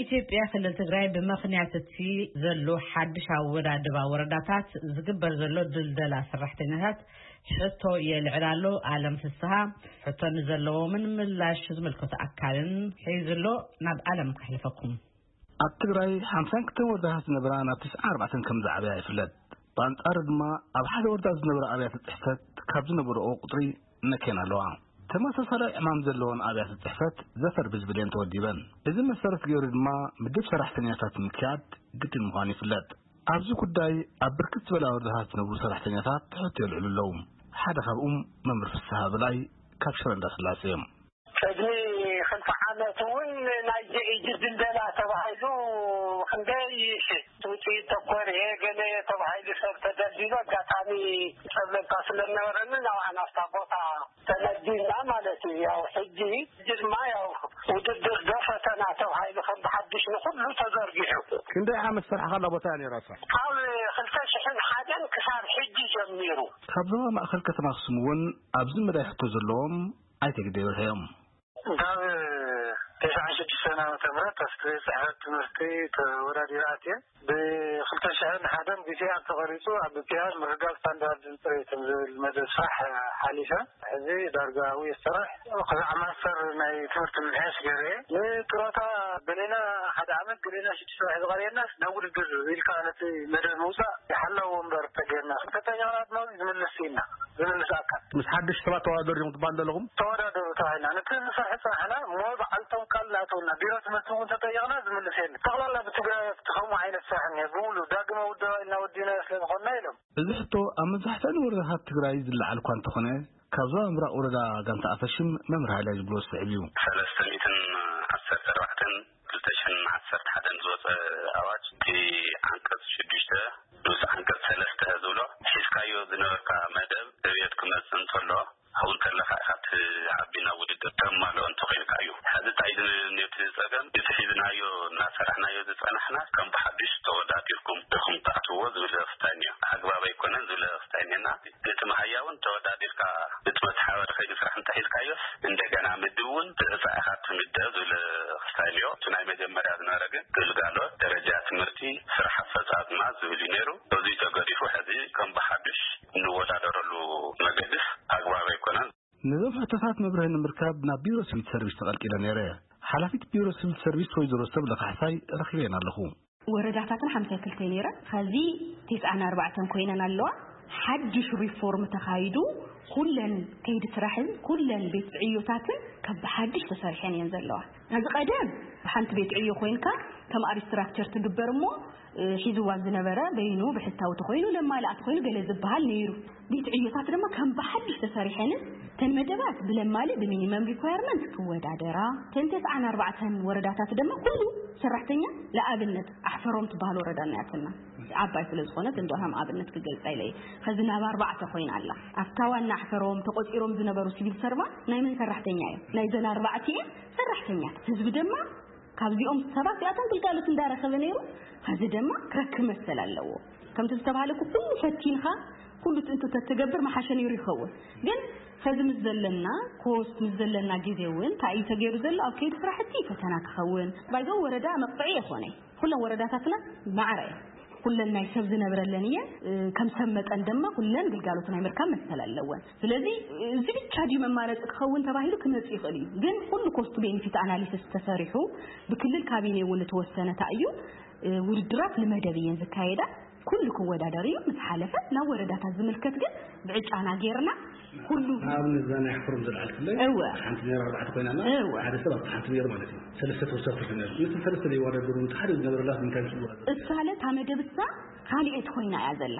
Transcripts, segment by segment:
ኢትዮጵያ ክልል ትግራይ ብምኽንያት እቲ ዘሎ ሓድሽ ኣወዳድባ ወረዳታት ዝግበር ዘሎ ድልደላ ሰራሕተኛታት ሕቶ የልዕል ኣሎ። ኣለም ፍስሃ ሕቶ ንዘለዎምን ምላሽ ዝምልከቶ ኣካልን ሒዙ ኣሎ። ናብ ኣለም ከሕልፈኩም። ኣብ ትግራይ ሓምሳን ክልተን ወረዳታት ዝነበራ ናብ ተስዓን ኣርባዕተን ከም ዝዓበያ ይፍለጥ። ብኣንጻሩ ድማ ኣብ ሓደ ወረዳ ዝነበራ ኣብያተ ጽሕፈት ካብ ዝነበረኦ ቁጽሪ ነክየን ኣለዋ። ተመሳሳሊ ዕማም ዘለወን ኣብያተ ጽሕፈት ዘፈር ብዝብል እየን ተወዲበን። እዚ መሰረት ገይሩ ድማ ምድብ ሰራሕተኛታት ምክያድ ግድን ምዃኑ ይፍለጥ። ኣብዚ ጉዳይ ኣብ ብርክት ዝበላ ወረዳታት ዝነብሩ ሰራሕተኛታት ሕቶ የልዕሉ ኣለዉ። ሓደ ካብኡም መምህር ፍስሃ በላይ ካብ ሽረ እንዳስላሴ እዮም። ቅድሚ ክልተ ዓመት እውን ናይ ጂ ኢ ጂ ድልደላ ተባሂሉ ክንደይ ሺሕ ውፅኢት ተኮር እየ ገለ ተባሂሉ ሰብ ተደልዲሉ ኣጋጣሚ ፀብለልታ ስለዝነበረኒ ናብኣ ናብታ ቦታ ተመዲብና ማለት እዩ። ያው ሕጂ ሕጂ ድማ ያው ውድድር ዶ ፈተና ተባሂሉ ከም ብሓድሽ ንኩሉ ተዘርጊሑ። ክንደይ ዓመት ዝሰርሓ ካላ ቦታ እያ ነይራ እሳ? ካብ ክልተ ሽሕን ሓደን ክሳብ ሕጂ ጀሚሩ። ካብ ዞባ ማእኸል ከተማ ኣክሱም እውን ኣብዚ መዳይ ሕቶ ዘለዎም ኣይተ ግደይ በርሀ እዮም። ካብ ተስዓን ሽዱሽተን ዓመተ ምህረት ኣብቲ ቤት ጽሕፈት ትምህርቲ ተወዳዲረ ኣትየ። ብ ክልተ ሽሕን ሓደን ቢ ቲ ኣር ተቐሪጹ፣ ኣብ ቢ ቲ ኣር ምርጋብ ስታንዳርድን ጽሬትን ዝብል መደብ ስራሕ ሓሊፈ። ሕዚ ዳርጋ ኣብኡ እየ ዝሰርሕ። ክሳዕ ማስተር ናይ ትምህርቲ ምምሕያሽ ገይረ እየ። ንጡረታ ገሌና ሓደ ዓመት፣ ገሌና ሽዱሽተ ወርሒ ዝቐርየናስ ናብ ውድድር ኢልካ ነቲ መደብ ምውጻእ ይሓላው ወንበር ተገይርና። እንተጠየቕና ድማ ዝምልስ ኢና። ዝምልስ ኣካል። ምስ ሓድሽ ሰባት ተወዳደሩ እዮም ትበሃል ዘለኹም? ተወዳደሩ ተባሂልና። ነቲ ንሰርሒ ጽናሕና እሞ በዓልቶም ቃል እናእተውና፣ ቢሮ ትምህርቲ እውን ተጠየቕና ዝምልስ የለን። ጠቕላላ ብትግራይ ከምኡ ዓይነት ስራሕ እኒሀ ብምሉእ ዳግመ ውደባ ኢልና ወዲና ስለ ዝኾንና ኢሎም። እዚ ሕቶ ኣብ መብዛሕትአን ወረዳታት ትግራይ ዝለዓል እኳ እንተኾነ፣ ካብ ዞባ ምብራቕ ወረዳ ጋንታ ኣፈሽም መምህር ሃይለ ዝብሎ ዝስዕብ እዩ። ሰለስተ ሚእትን ዓሰርተ ኣርባዕተን ክልተ ሽሕን ዓሰርተ ሓደን ዝወፀ ኣዋጅ፣ እቲ ዓንቀፅ ሽዱሽተ ንኡስ ዓንቀፅ ሰለስተ ዝብሎ፣ ሒዝካዮ ዝነበርካ መደብ ዕብየት ክመፅእ እንተሎ፣ ኣብኡ ከለኻ ኢኻ እቲ ዓቢ ናብ ውድድር ተማልኦ እንተኾይንካ እዩ። ሕዚ እንታይ እዩ ነቲ ጸገም? እቲ ሒዝናዮ እናሰራሕናዮ ዝጸናሕና ከም ብሓድሽ ተወዳዲርኩም ኢኹም ትኣትውዎ ዝብል ውሳኔ እዩ። ኣግባብ ኣይኮነን ዝብል ውሳኔና። እቲ መሃያ እውን ተወዳዲርካ እቲ መተሓባሪ ከይዲ ስራሕ እንተሒዝካዮስ እንደገና ምድብ እውን ብዕጻ ኢኻ ትምደብ ዝብል ውሳኔ እዩ። እቲ ናይ መጀመርያ ዝነበረ ግን ግልጋሎት፣ ደረጃ ትምህርቲ፣ ስራሕ ኣፈጻጽማ ዝብል እዩ ነይሩ። በዚ ተገዲፉ ሕዚ ከም ብሓድሽ እንወዳደረሉ መገድስ ኣግባብ ኣይኮነን። ነዞም ሕቶታት መብርሂ ንምርካብ ናብ ቢሮ ሲቪል ሰርቪስ ተቐልቂለ ነይረ። ሓላፊት ቢሮ ሲቪል ሰርቪስ ወይዘሮ ሰብለ ካሕሳይ ረኺበን ኣለኹ። ወረዳታትና ሓምሳ ክልተ ነይረን፣ ኸዚ ተስዓን ኣርባዕተን ኮይነን ኣለዋ። ሓድሽ ሪፎርም ተኻይዱ፣ ኩለን ከይዲ ስራሕን ኩለን ቤት ዕዮታትን ካብ ብሓድሽ ተሰሪሐን እየን ዘለዋ። ነዚ ቀደም ሓንቲ ቤት ዕዮ ኮይንካ ከም ኣብ ስትራክቸር ትግበር እሞ፣ እ፣ ሒዝዋ ዝነበረ በይኑ ብሕታዊ ተኾይኑ ለማልኣ ተኾይኑ ገለ ዝበሃል ነይሩ። ቤት ዕዮታት ድማ ከም ብሓድሽ ተሰሪሐንን እተን መደባት ብለማሊ ብሚኒመም ሪኳየርመንት ክወዳደራ፣ እተን ተስዓን ኣርባዕተን ወረዳታት ድማ ኩሉ ሰራሕተኛ፣ ለኣብነት ኣሕፈሮም ትበሃል ወረዳ እናያትና ዓባይ ስለ ዝኾነት እንዶ ከም ኣብነት ክገልጻ ኢለ እየ። ኸዚ ናብ ኣርባዕተ ኮይና ኣላ። ኣብታ ዋና ኣሕፈሮም ተቆጺሮም ዝነበሩ ሲቪል ሰርቫንት ናይ መን ሰራሕተኛ እዮም? ናይዘን ኣርባዕቲኤን ሰራሕተኛታት። ህዝቢ ድማ ካብዚኦም ሰባት እዚኣቶም ግልጋሎት እንዳረኸበ ነይሩ፣ ኸዚ ድማ ክረክብ መሰል ኣለዎ። ከምቲ ዝተባሃለ እኮ ኩሉ ፈቲንኻ፣ ኩሉ ትእንቱ ተትገብር መሓሸ ነይሩ ይኸውን። ግን ኸዚ ምስ ዘለና ኮስት፣ ምስ ዘለና ግዜ እውን እንታይ እዩ ተገይሩ ዘሎ? ኣብ ከይዲ ስራሕቲ ፈተና ክኸውን። ባይዘው ወረዳ መቕፅዒ የኾነ። ኩለን ወረዳታትና ማዕረ እየን። ኩለን ናይ ሰብ ዝነብረለን እየን። እ፣ ከም ሰብ መጠን ድማ ኩለን ግልጋሎት ናይ ምርካብ መሰል ኣለወን። ስለዚ እዚ ብቻ ድዩ መማረፂ ክኸውን ተባሂሉ ክመፅእ ይኽእል እዩ። ግን ኩሉ ኮስት ቤኒፊት ኣናሊሲስ ተሰሪሑ ብክልል ካቢኔ እውን ዝተወሰነ እንታይ እዩ፣ እ፣ ውድድራት ንመደብ እየን ዝካየዳ። ኩሉ ክወዳደር እዩ። ምስ ሓለፈ ናብ ወረዳታት ዝምልከት ግን ብዕጫና ጌርና ኩሉ ንኣብነት እዛ ናይ ኣሕፈሮም ዘልዓልክለይ እወ። ሓንቲ ነይራ ኣርባዕተ ኮይና ኣላ። እወ። ሓደ ሰብ ኣብቲ ሓንቲ ነይሩ ማለት እዩ። ሰለስተ ተወሳኺ ትርፊ ነይሩ። ነቲ ሰለስተ ዘይወዳደሩ ነቲ ሓደ ዝነበረላ ንምንታይ ምስ ዝወዳደሩ? እሳ ለ እታ መደብ እሳ ካልኤት ኮይና እያ ዘላ።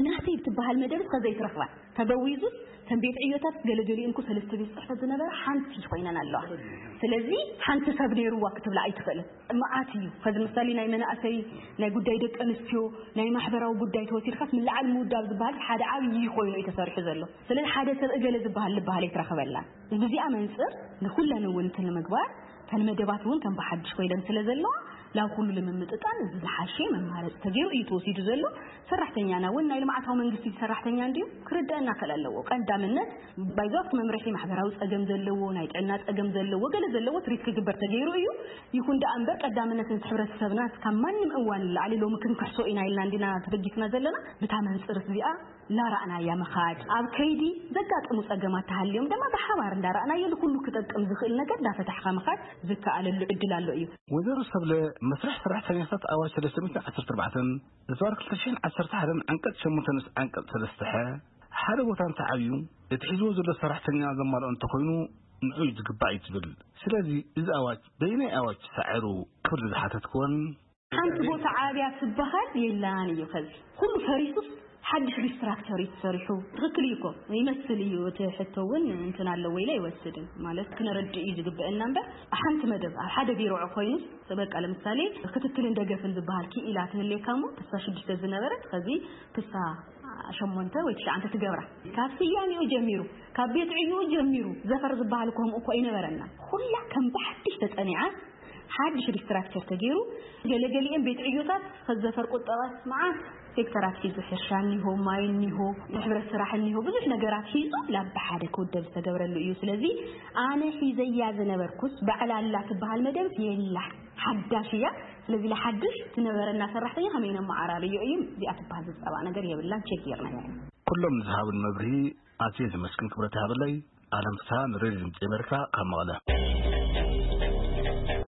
ናተይ ትበሃል መደብ እስከ ዘይትረኽባ። ተበዊዙ ከም ቤት ዕዮታት ገለገሊኡ እንኮ ሰለስተ ቤት ጽሕፈት ዝነበረ ሓንቲ ኮይነን ኣለዋ። ስለዚ ሓንቲ ሰብ ነይርዋ ክትብላ ኣይትኽእልን። መዓት እዩ። ከዚ ምሳሌ ናይ መናእሰይ፣ ናይ ጉዳይ ደቂ ኣንስትዮ፣ ናይ ማሕበራዊ ጉዳይ ተወሲድካስ ምልዓል ምውዳብ ዝበሃል ሓደ ዓብዪ ኮይኑ እዩ ተሰሪሑ ዘሎ። ስለዚ ሓደ ሰብ እገለ ዝበሃል ዝበሃል ኣይትረኽበላን። ብዚኣ መንፅር ንኩለን እውን እንትን ንምግባር ከን መደባት እውን ከም ብሓድሽ ኮይለን ስለ ዘለዋ ላብ ኩሉ ንምምጥጣን እዚ ዝሓሸ መማረፂ ተገይሩ እዩ ተወሲዱ ዘሎ። ሰራሕተኛና እውን ናይ ልምዓታዊ መንግስቲ ሰራሕተኛ እንዲዩ ክርዳእና ክእል ኣለዎ። ቀዳምነት ባይዞ ኣብቲ መምርሒ ማሕበራዊ ፀገም ዘለዎ፣ ናይ ጥዕና ፀገም ዘለዎ፣ ገለ ዘለዎ ትሪት ክግበር ተገይሩ እዩ። ይኹን ደኣ እምበር ቀዳምነት ነቲ ሕብረተሰብና ካብ ማንም እዋን ንላዕሊ ሎሚ ክንክሕሶ ኢና ኢልና እንዲና ተበጊስና ዘለና። ብታ መንፅር እዚኣ ላራእናያ ምኻድ ኣብ ከይዲ ዘጋጥሙ ፀገማት ተሃልዮም ድማ ብሓባር እንዳራእናዮ ንኩሉ ክጠቅም ዝኽእል ነገር እንዳፈታሕካ ምኻድ ዝከኣለሉ ዕድል ኣሎ እዩ። ወይዘሮ ሰብለ፣ መስርሕ ሰራሕተኛታት ኣዋጅ ሰለስተ ሚእትን ዓሰርተ ኣርባዕተን እዝባር ክልተ ሽሕን ዓሰርተ ሓደን ዓንቀፅ ሸሞንተ ንስ ዓንቀፅ ሰለስተ ሐ ሓደ ቦታ እንተዓብዩ እቲ ሒዝዎ ዘሎ ሰራሕተኛ ዘማልኦ እንተኾይኑ ንዑ እዩ ዝግባእ እዩ ትብል። ስለዚ እዚ ኣዋጅ በይናይ ኣዋጅ ሳዕሩ ክብል ዝሓተትክወን ሓንቲ ቦታ ዓብያ ትበሃል የላን እዩ። ከዚ ኩሉ ፈሪሱስ ሓድሽ ሪስትራክቸር እዩ ተሰሪሑ። ትኽክል እዩ እኮ ይመስል እዩ። እቲ ሕቶ እውን እንትን ኣለዎ ኢለ ኣይወስድን። ማለት ክነረድእ እዩ ዝግበአና እምበር ሓንቲ መደብ ኣብ ሓደ ቢሮ ኮይኑስ በቃ ለምሳሌ ክትትልን ደገፍን ዝበሃል ክኢላ ትህልየካ እሞ ክሳ ሽዱሽተ ዝነበረት ከዚ ክሳ ሸሞንተ ወይ ትሽዓንተ ትገብራ። ካብ ስያሜኡ ጀሚሩ፣ ካብ ቤት ዕዩኡ ጀሚሩ ዘፈር ዝበሃል እኮ ከምኡ እኮ ኣይነበረና። ኩላ ከም ብሓድሽ ተጸኒዓ ሓድሽ ሪስትራክቸር ተገይሩ ገለገሊኦም ቤት ዕዮታት ከዘፈር ቁጠባ መዓት ሴክተራት ሒዙ ሕርሻ እኒሆ፣ ማይ እኒሆ፣ ናይ ሕብረት ስራሕ እኒሆ፣ ብዙሕ ነገራት ሒዙ ላብ ሓደ ክውደብ ዝተገብረሉ እዩ። ስለዚ ኣነ ሒዘያ ዝነበርኩስ ባዕላ ኣላ ትበሃል መደብ የላ ሓዳሽ እያ። ስለዚ ለሓድሽ ትነበረና ሰራሕተኛ ከመይ ነመዓራርዮ እዩ። እዚኣ ትበሃል ዝፀባእ ነገር የብላን። ቼክ ጌርና ኢና። ኩሎም ንዝሃቡን መብርሂ ኣዝየ ዘመስግን ክብረት ይሃበለይ። ኣለም ፍስሃ ንሬድዮ ድምፂ ኣሜሪካ ካብ መቐለ።